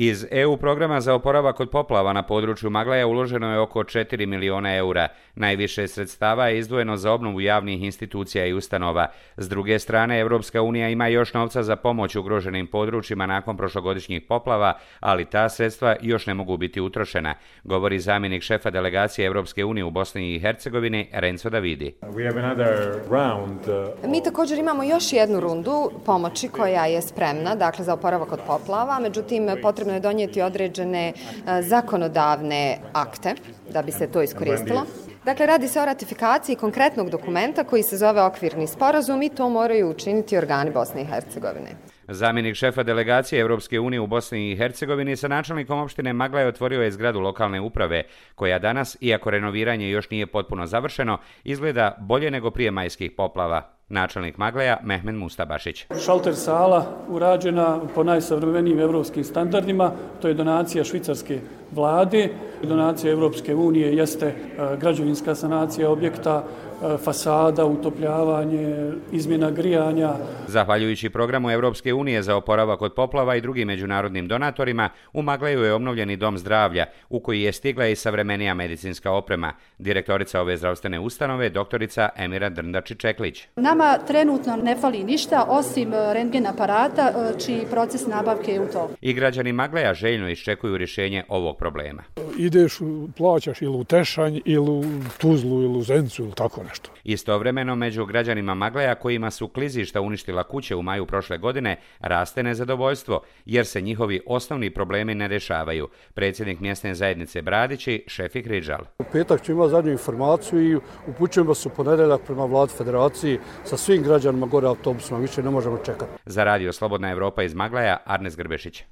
Iz EU programa za oporavak od poplava na području Maglaja uloženo je oko 4 miliona eura. Najviše sredstava je izdvojeno za obnovu javnih institucija i ustanova. S druge strane, Evropska unija ima još novca za pomoć ugroženim područjima nakon prošlogodišnjih poplava, ali ta sredstva još ne mogu biti utrošena, govori zamjenik šefa delegacije Evropske unije u Bosni i Hercegovini Renzo Davidi. Mi također imamo još jednu rundu pomoći koja je spremna, dakle za oporavak od poplava, međutim potrebno je donijeti određene zakonodavne akte da bi se to iskoristilo. Dakle, radi se o ratifikaciji konkretnog dokumenta koji se zove okvirni sporazum i to moraju učiniti organi Bosne i Hercegovine. Zamjenik šefa delegacije Evropske unije u Bosni i Hercegovini sa načelnikom opštine Maglaj otvorio je zgradu lokalne uprave, koja danas, iako renoviranje još nije potpuno završeno, izgleda bolje nego prije majskih poplava. Načelnik Maglaja Mehmed Mustabašić. Šalter sala urađena po najsavremenijim evropskim standardima, to je donacija švicarske vlade. Donacija Evropske unije jeste građevinska sanacija objekta, fasada, utopljavanje, izmjena grijanja. Zahvaljujući programu Evropske unije za oporavak od poplava i drugim međunarodnim donatorima, u Maglaju je obnovljeni dom zdravlja, u koji je stigla i savremenija medicinska oprema. Direktorica ove zdravstvene ustanove, doktorica Emira Drndači-Čeklić. Nama trenutno ne fali ništa, osim rentgen aparata, čiji proces nabavke je u toku. I građani Maglaja željno iščekuju rješenje ovog problema. Ideš, plaćaš ili u Tešanj, ili u Tuzlu, ili u Zencu, ili tako nešto. Istovremeno, među građanima Maglaja kojima su klizišta uništila kuće u maju prošle godine, raste nezadovoljstvo, jer se njihovi osnovni problemi ne rješavaju. Predsjednik mjesne zajednice Bradići, Šefik Ridžal. U petak ću imati zadnju informaciju i upućujemo se u ponedjeljak prema vladi federacije sa svim građanima gore autobusima, više ne možemo čekati. Za radio Slobodna Evropa iz Maglaja, Arnes Grbešić.